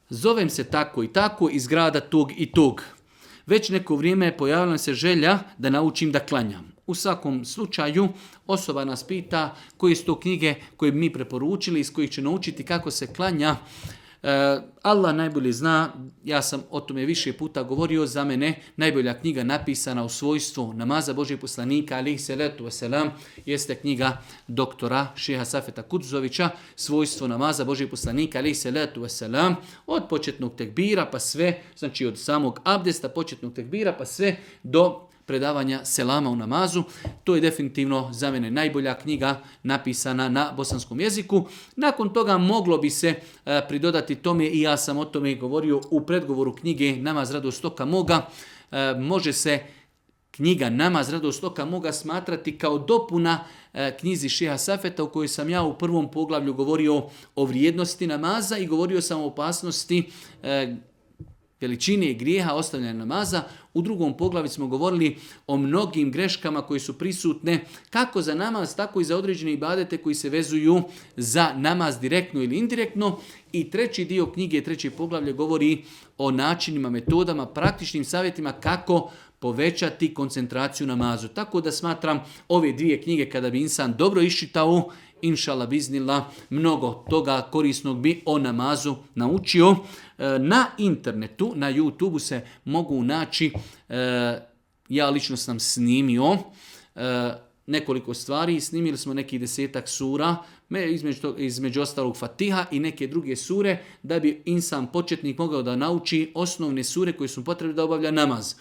zovem se tako i tako iz grada tog i tog. Već neko vrijeme pojavila se želja da naučim da klanjam. U svakom slučaju osoba nas pita koje su to knjige koje bi mi preporučili, iz kojih će naučiti kako se klanja. Allah najbolje zna, ja sam o tome više puta govorio, za mene najbolja knjiga napisana u svojstvu namaza Božijeg poslanika alejhi salatu vesselam jeste knjiga doktora Šeha Safeta Kudzovića, svojstvo namaza Božijeg poslanika alejhi salatu vesselam, od početnog tekbira pa sve, znači od samog abdesta, početnog tekbira pa sve do predavanja selama u namazu. To je definitivno za mene najbolja knjiga napisana na bosanskom jeziku. Nakon toga moglo bi se pridodati tome, i ja sam o tome govorio u predgovoru knjige Namaz radost oka moga. Može se knjiga Namaz radost oka moga smatrati kao dopuna knjizi Šeha Safeta, u kojoj sam ja u prvom poglavlju govorio o vrijednosti namaza i govorio sam o opasnosti veličine grijeha ostavljanja namaza. U drugom poglavlju smo govorili o mnogim greškama koje su prisutne kako za namaz, tako i za određene ibadete koji se vezuju za namaz direktno ili indirektno. I treći dio knjige, treći poglavlje govori o načinima, metodama, praktičnim savjetima kako povećati koncentraciju namazu. Tako da smatram ove dvije knjige kada bi insan dobro iščitao, inšallah biznillah, mnogo toga korisnog bi o namazu naučio. Na internetu, na YouTubeu se mogu naći, ja lično sam snimio nekoliko stvari, snimili smo nekih 10-ak sura, između ostalog Fatiha i neke druge sure, da bi insan početnik mogao da nauči osnovne sure koje su potrebne da obavlja namaz.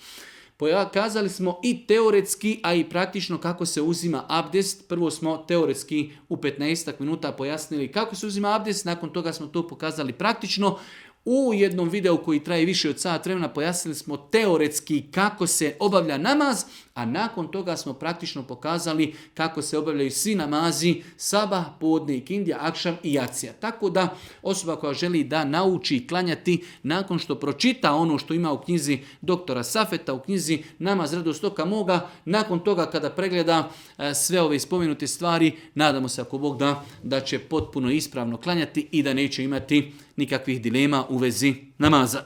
Pokazali smo i teoretski, a i praktično kako se uzima abdest. Prvo smo teoretski u 15 minuta pojasnili kako se uzima abdest, nakon toga smo to pokazali praktično. U jednom videu koji traje više od sat vremena pojasnili smo teoretski kako se obavlja namaz, a nakon toga smo praktično pokazali kako se obavljaju svi namazi, sabah, podne, ikindija, akšam i jacija. Tako da osoba koja želi da nauči klanjati nakon što pročita ono što ima u knjizi doktora Safeta, u knjizi Namaz radost oka moga, nakon toga kada pregleda sve ove spomenute stvari, nadamo se ako Bog da će potpuno ispravno klanjati i da neće imati nikakvih dilema u vezi namaza.